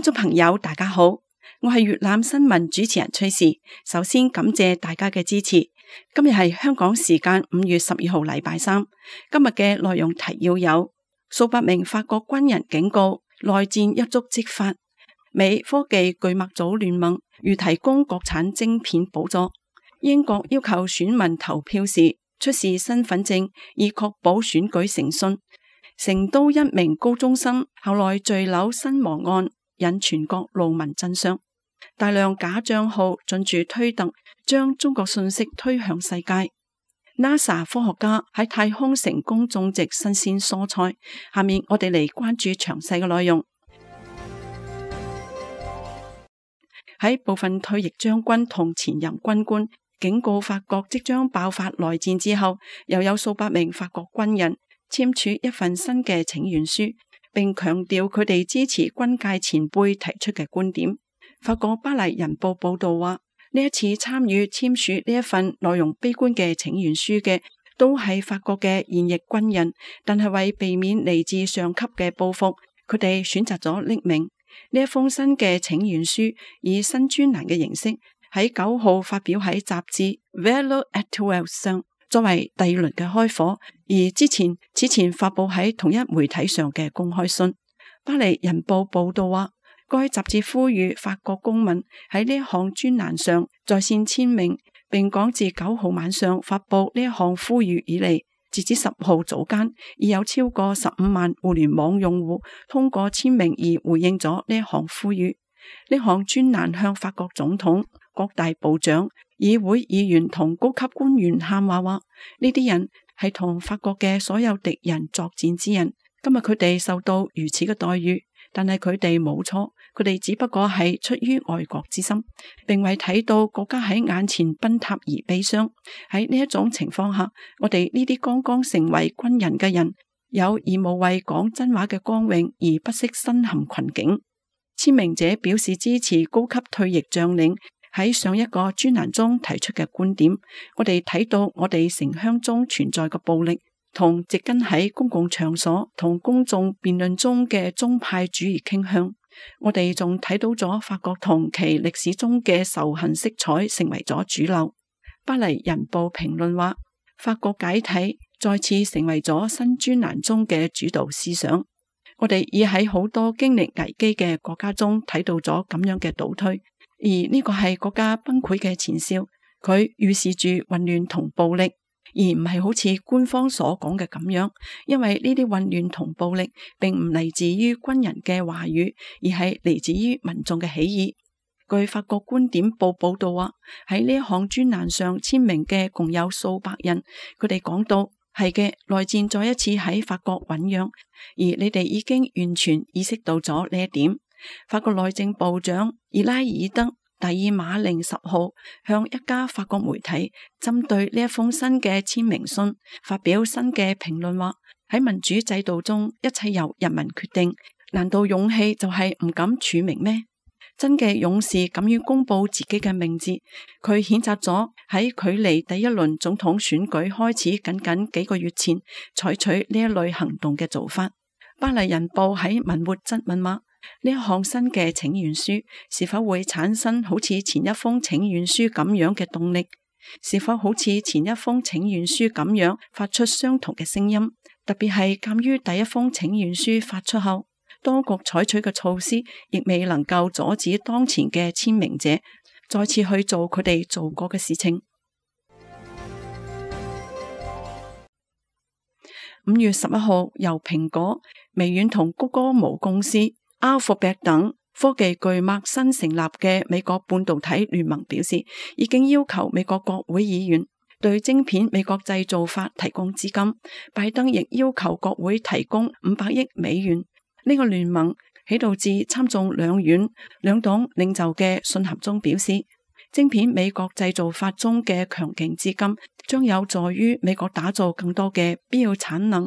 眾朋友大家好，我係粵覽新聞主持人崔氏。首先感謝大家嘅支持。今日係香港時間5月12號禮拜三。今日嘅內容提要有：數百名法國軍人警告內戰一觸即發；美科技巨擘組聯盟如提供國產晶片補助；英國要求選民投票時出示身份證以確保選舉誠信；成都一名高中生後來墜樓身亡案引全國路民震傷。大量假賬號進駐推特，將中國信息推向世界。NASA 科學家喺太空成功種植新鮮蔬菜。下面我哋嚟關注詳細嘅內容。喺部分退役將軍同前任軍官警告法國即將爆發內戰之後，又有數百名法國軍人簽署一份新嘅請願書，並強調佢哋支持軍界前輩提出嘅觀點。法國巴黎人報報道話，呢一次參與簽署呢一份內容悲觀嘅請願書嘅，都係法國嘅現役軍人，但係為避免嚟自上級嘅報復，佢哋選擇咗匿名。呢一封新嘅請願書以新專欄嘅形式喺9號發表喺雜誌 Valeurs Actuelles 上，作為第二輪嘅開火。而此前發佈喺同一媒體上嘅公開信。巴黎人報報道話，該雜誌呼籲法國公民喺呢一項專欄上在線簽名，並講自9號晚上發佈呢一項呼籲以嚟，截至10號早間，已有超過15萬互聯網用戶通過簽名而回應咗呢一項呼籲。呢項專欄向法國總統、各大部長、議會議員同高級官員喊話，呢啲人係同法國嘅所有敵人作戰之人。今日佢哋受到如此嘅待遇，但係佢哋冇錯，佢哋只不過係出於愛國之心，並為睇到國家喺眼前崩塌而悲傷。喺呢一種情況下，我哋呢啲剛剛成為軍人嘅人，有義務為講真話嘅光榮而不惜身陷困境。簽名者表示支持高級退役將領喺上一個專欄中提出嘅觀點。我哋睇到我哋城鄉中存在嘅暴力，同植根喺公共場所同公眾辯論中嘅宗派主義傾向。我哋仲睇到咗法國同其歷史中嘅仇恨色彩成為咗主流。巴黎人報評論話，法國解體再次成為咗新專欄中嘅主導思想。我哋已喺好多經歷危機嘅國家中睇到咗咁樣嘅倒退，而呢個係國家崩潰嘅前兆。佢預示住混亂同暴力，而唔係好似官方所講嘅咁樣，因為呢啲混亂同暴力並唔嚟自於軍人嘅話語，而係嚟自於民眾嘅起義。據法國觀點報報道話，喺呢一項專欄上簽名嘅共有數百人，佢哋講到，係嘅，內戰再一次喺法國醞釀，而你哋已經完全意識到咗呢一點。法國內政部長伊拉爾德第爾馬寧10號向一家法國媒體針對呢一封新嘅簽名信發表新嘅評論，話喺民主制度中一切由人民決定，難道勇氣就係唔敢署名咩？真嘅勇士敢於公布自己嘅名字。佢譴責咗喺距離第一輪總統選舉開始僅僅幾個月前採取呢一類行動嘅做法。巴黎人報喺文末質問話，呢一項新嘅請願書是否會產生好似前一封請願書咁樣嘅動力？是否好似前一封請願書咁樣發出相同嘅聲音？特別係鑒於第一封請願書發出後，當局採取嘅措施亦未能夠阻止當前嘅簽名者再次去做佢哋做過嘅事情。5月11號，由蘋果、微軟同谷歌母公司 Alphabet 等科技巨擘新成立嘅美國半導體聯盟表示，已經要求美國國會議員對晶片美國製造法提供資金。拜登亦要求國會提供500億美元。呢個聯盟喺導致參眾兩院兩黨領袖嘅信函中表示，晶片美國製造法中嘅強勁資金將有助於美國打造更多嘅必要產能，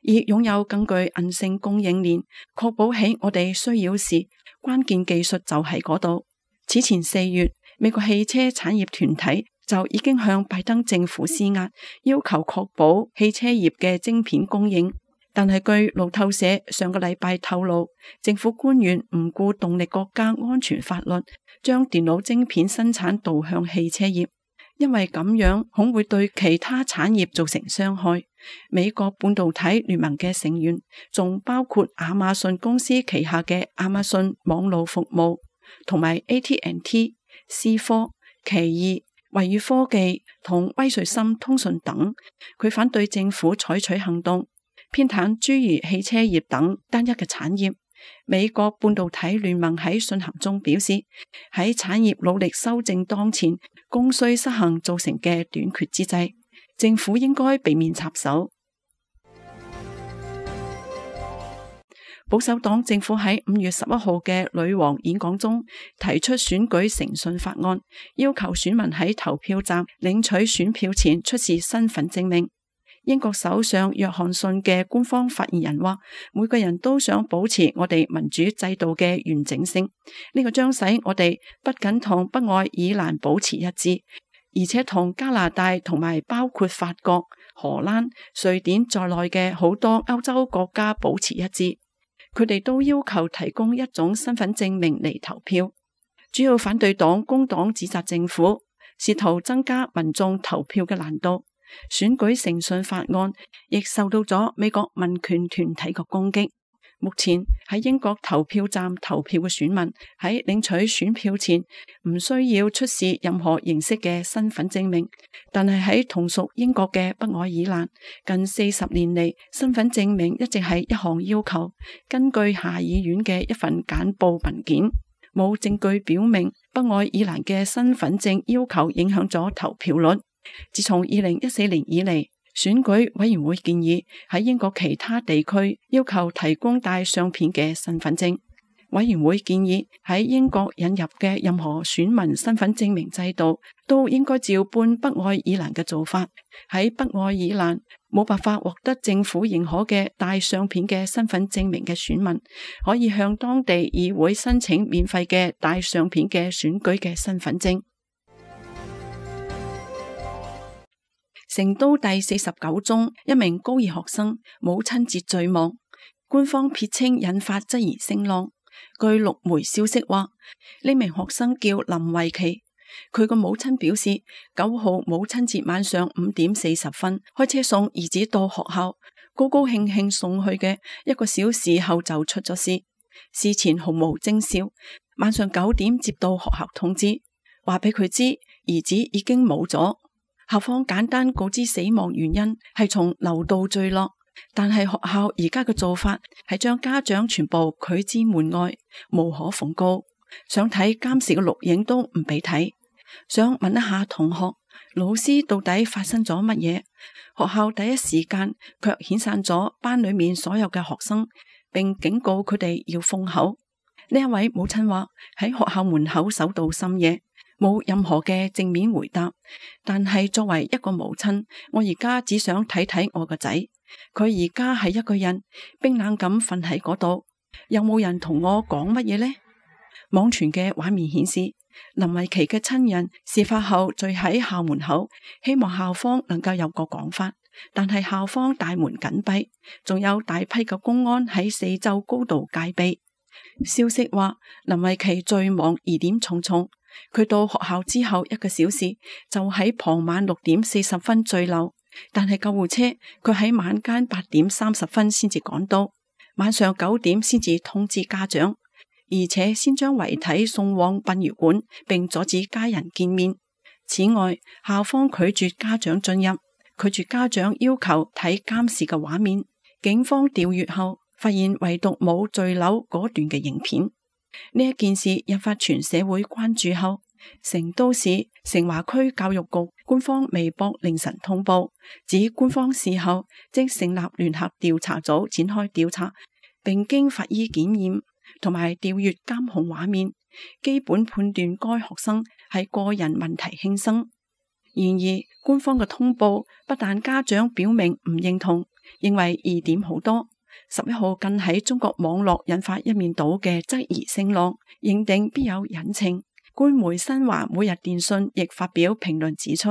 而擁有更具韌性供應鏈，確保喺我哋需要時，關鍵技術就喺嗰度。此前4月，美國汽車產業團體就已經向拜登政府施壓，要求確保汽車業嘅晶片供應，但係據路透社上個禮拜透露，政府官員唔顧動力國家安全法律，將電腦晶片生產導向汽車業，因為咁樣恐會對其他產業造成傷害。美國半導體聯盟嘅成員仲包括亞馬遜公司旗下嘅亞馬遜網絡服務，同埋 AT&T、思科、奇異、惠譽科技同威瑞森通訊等。佢反對政府採取行動，偏袒諸如汽車業等單一嘅產業。美國半導體聯盟喺信函中表示，喺產業努力修正當前供需失衡造成嘅短缺之際，政府應該避免插手。保守黨政府喺5月11號嘅女王演講中提出選舉誠信法案，要求選民喺投票站領取選票前出示身份證明。英國首相約翰遜嘅官方發言人話，每個人都想保持我哋民主制度嘅完整性，呢個將使我哋不僅同北愛爾蘭保持一致，而且同加拿大同埋包括法國、荷蘭、瑞典在內嘅好多歐洲國家保持一致。佢哋都要求提供一種身份證明嚟投票。主要反對黨工黨指責政府試圖增加民眾投票嘅難度。選舉誠信法案亦受到咗美國民權團體嘅攻擊。目前喺英國投票站投票嘅選民喺領取選票前唔需要出示任何形式嘅身份證明，但係喺同屬英國嘅北愛爾蘭，近40年嚟，身份證明一直係一項要求。根據下議院嘅一份簡報文件，冇證據表明北愛爾蘭嘅身份證要求影響咗投票率。自從2014年以嚟，選舉委員會建議喺英國其他地區要求提供帶相片嘅身份證。委員會建議喺英國引入嘅任何選民身份證明制度都應該照搬北愛爾蘭嘅做法。喺北愛爾蘭冇辦法獲得政府認可嘅帶相片嘅身份證明嘅選民，可以向當地議會申請免費嘅帶相片嘅選舉嘅身份證。成都第49中一名高二學生母親節墜亡，官方撇清引發質疑聲浪。據陸媒消息話，呢名學生叫林慧琪，佢個母親表示9號母親節晚上5點40分開車送兒子到學校，高高興興送去嘅1個小時後就出咗事，事前毫無徵兆。晚上9點接到學校通知，話俾佢知兒子已經冇咗。校方簡單告知死亡原因係從樓道墜落，但係學校而家嘅做法係將家長全部拒之門外，無可奉告。想睇監視嘅錄影都唔俾睇。想問一下同學，老師到底發生咗乜嘢？學校第一時間卻遣散咗班裏面所有嘅學生，並警告佢哋要封口。呢一位母親話喺學校門口守到深夜，冇任何嘅正面回答，但係作為一個母親，我而家只想睇睇我個仔，佢而家係一個人冰冷咁瞓喺嗰度，有冇人同我講乜嘢呢？網傳嘅畫面顯示，林慧琪嘅親人事發後聚喺校門口，希望校方能夠有個講法，但係校方大門緊閉，仲有大批嘅公安喺四周高度戒備。消息話林慧琪墜亡疑點重重。佢到學校之後1個小時就喺傍晚6點40分墜樓，但係救護車佢喺晚間8點30分先至趕到，晚上9點先至通知家長，而且先將遺體送往殯儀館，並阻止家人見面。此外，校方拒絕家長進入，拒絕家長要求睇監視嘅畫面。警方調閱後發現唯獨冇墜樓嗰段嘅影片。呢一件事引發全社會關注後，成都市成華區教育局官方微博凌晨通報，指官方事後即成立聯合調查組展開調查，並經法醫檢驗同埋調閱監控畫面，基本判斷該學生係個人問題輕生。然而，官方嘅通報不但家長表明唔認同，認為疑點好多。11號更喺中國網絡引發一面倒嘅質疑聲浪，認定必有隱情。官媒新華每日電訊亦發表評論指出，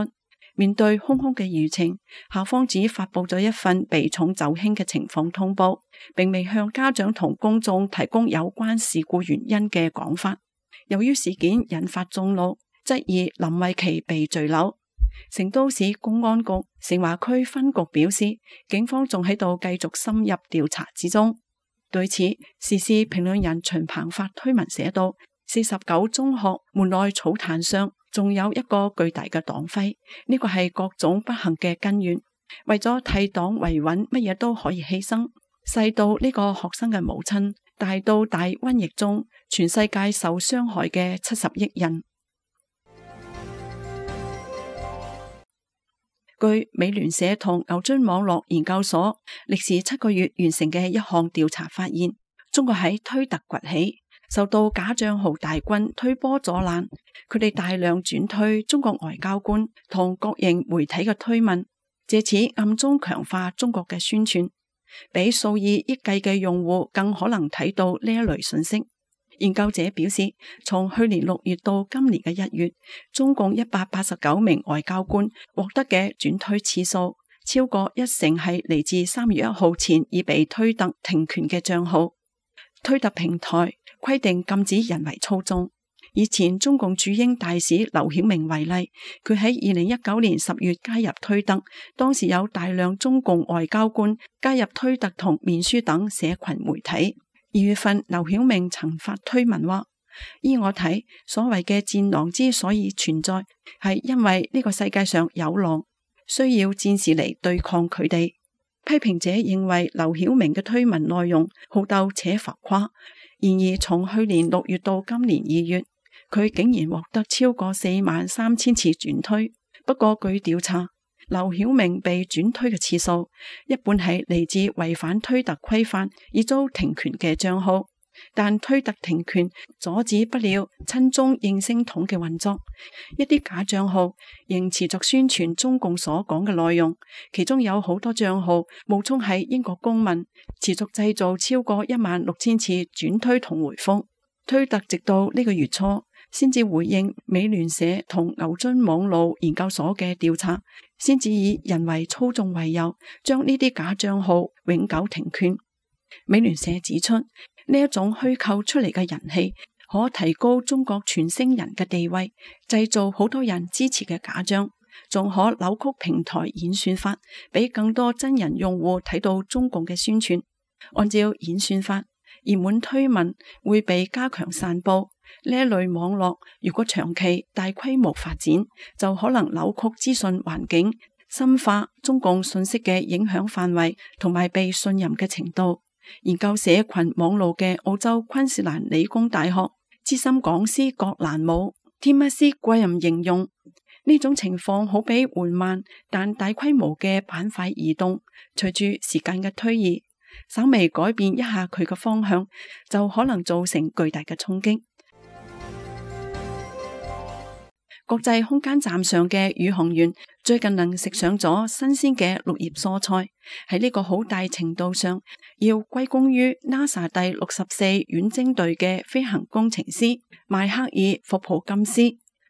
面對空空嘅輿情，校方只發佈咗一份避重就輕嘅情況通報，並未向家長同公眾提供有關事故原因嘅講法。由於事件引發眾怒，質疑林慧琪被墜樓。成都市公安局成華區分局表示，警方仲喺度繼續深入調查之中。對此，時事評論人秦鵬發推文寫道：49中學門內草壇上仲有一個巨大嘅黨徽，呢個係各種不幸嘅根源。為咗替黨維穩，乜嘢都可以犧牲。細到呢個學生嘅母親，大到大瘟疫中全世界受傷害嘅70億人。據美聯社同牛津網絡研究所歷時7個月完成嘅一項調查發現，中國喺推特崛起，受到假賬號大軍推波助瀾，佢哋大量轉推中國外交官同國營媒體嘅推文，借此暗中強化中國嘅宣傳，比數以億計嘅用戶更可能睇到呢一類信息。研究者表示，從去年6月到今年嘅1月，中共189名外交官獲得嘅轉推次數，超過10%係嚟自3月1號前已被推特停權嘅賬號。推特平台規定禁止人為操縱。以前中共駐英大使劉曉明為例，佢喺2019年10月加入推特，當時有大量中共外交官加入推特同面書等社群媒體。2月份，劉曉明曾發推文話：依我睇，所謂嘅戰狼之所以存在，係因為呢個世界上有狼，需要戰士嚟對抗佢哋。批評者認為劉曉明嘅推文內容好鬥且浮誇，然而從去年6月到今年2月，佢竟然獲得超過43000次轉推。不過據調查，劉曉明被轉推嘅次數一半係嚟自違反推特規範而遭停權嘅賬號，但推特停權阻止不了親中應聲筒嘅運作，一啲假賬號仍持續宣傳中共所講嘅內容，其中有好多賬號冒充係英國公民，持續製造超過16000次轉推同回覆。推特直到呢個月初先至回應美聯社同牛津網絡研究所嘅調查，先至以人為操縱為由，將呢啲假賬號永久停權。美聯社指出，呢一種虛構出嚟嘅人氣，可提高中國傳聲人嘅地位，製造好多人支持嘅假象，仲可扭曲平台演算法，俾更多真人用戶睇到中共嘅宣傳。按照演算法，熱門推文會被加強散布。呢一類網絡如果長期大規模發展，就可能扭曲資訊環境，深化中共信息嘅影響範圍同埋被信任嘅程度。研究社群網絡嘅澳洲昆士蘭理工大學資深講師葛蘭姆 Timothy Graham 形容，呢種情況好比緩慢但大規模嘅板塊移動，隨住時間嘅推移，稍微改變一下佢嘅方向，就可能造成巨大嘅衝擊。國際空間站上嘅宇航員最近能食上咗新鮮嘅綠葉蔬菜，喺呢個好大程度上要歸功於 NASA 第64遠征隊嘅飛行工程師邁克爾霍普金斯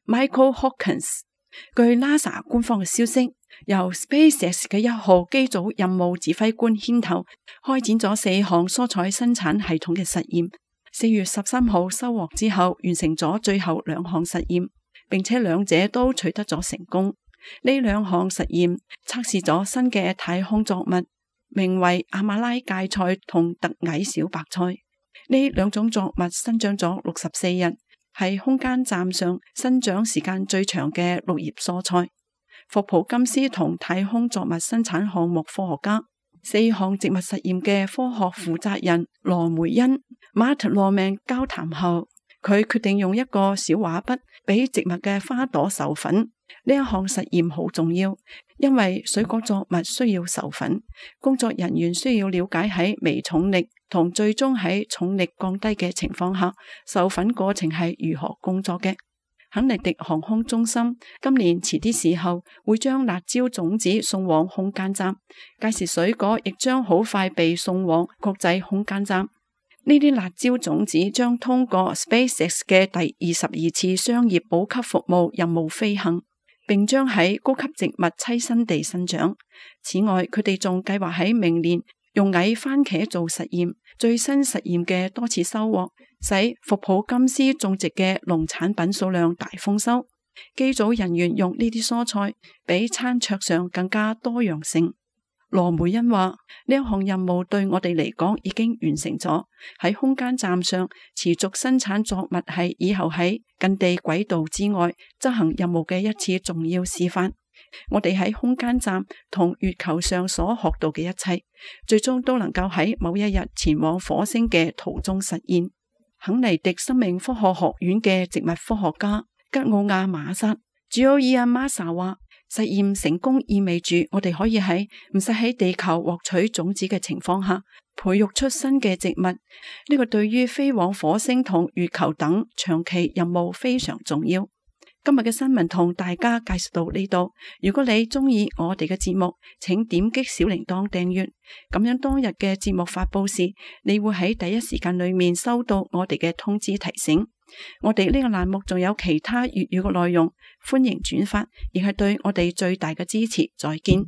Michael Hawkins。據 NASA 官方嘅消息，由 SpaceX 嘅1號機組任務指揮官牽頭，開展咗4項蔬菜生產系統嘅實驗。4月13號收穫之後，完成咗最後2項實驗，並且兩者都取得咗成功。呢2項實驗測試咗新嘅太空作物，名為亞馬拉芥菜同特矮小白菜。呢2種作物生長咗64日，係空間站上生長時間最長嘅綠葉蔬菜。霍普金斯同太空作物生產項目科學家、4項植物實驗嘅科學負責人羅梅恩馬特羅命交談後，佢決定用一個小畫筆俾植物嘅花朵授粉。呢一項實驗好重要，因為水果作物需要授粉，工作人員需要了解喺微重力同最終喺重力降低嘅情況下，授粉過程係如何工作嘅。肯尼迪航空中心今年遲啲時候會將辣椒種子送往空間站，屆時水果亦將好快被送往國際空間站。呢啲辣椒種子將通過 SpaceX 嘅第22次商業補給服務任務飛行。並將喺高級植物棲身地生長。此外，佢哋仲計劃喺明年用矮番茄做實驗，最新實驗嘅多次收穫，使福普金斯種植嘅農產品數量大豐收。機組人員用呢啲蔬菜比餐桌上更加多樣性。羅梅恩話：呢一項任務對我哋嚟講已經完成咗。喺空間站上持續生產作物係以後喺近地軌道之外執行任務嘅一次重要示範。我哋喺空間站同月球上所學到嘅一切，最終都能夠喺某一日前往火星嘅途中實現。肯尼迪生命科學學院嘅植物科學家吉奧亞馬薩 Gioia Massa 話：實驗成功意味住我哋可以喺唔使喺地球獲取種子嘅情況下，培育出新嘅植物。呢個對於飛往火星同月球等長期任務非常重要。今日嘅新聞同大家介紹到呢度。如果你中意我哋嘅節目，請點擊小鈴鐺訂閱，咁樣當日嘅節目發佈時，你會喺第一時間裏面收到我哋嘅通知提醒。我哋呢個欄目仲有其他粵語嘅內容，歡迎轉發，亦係對我哋最大嘅支持。再見。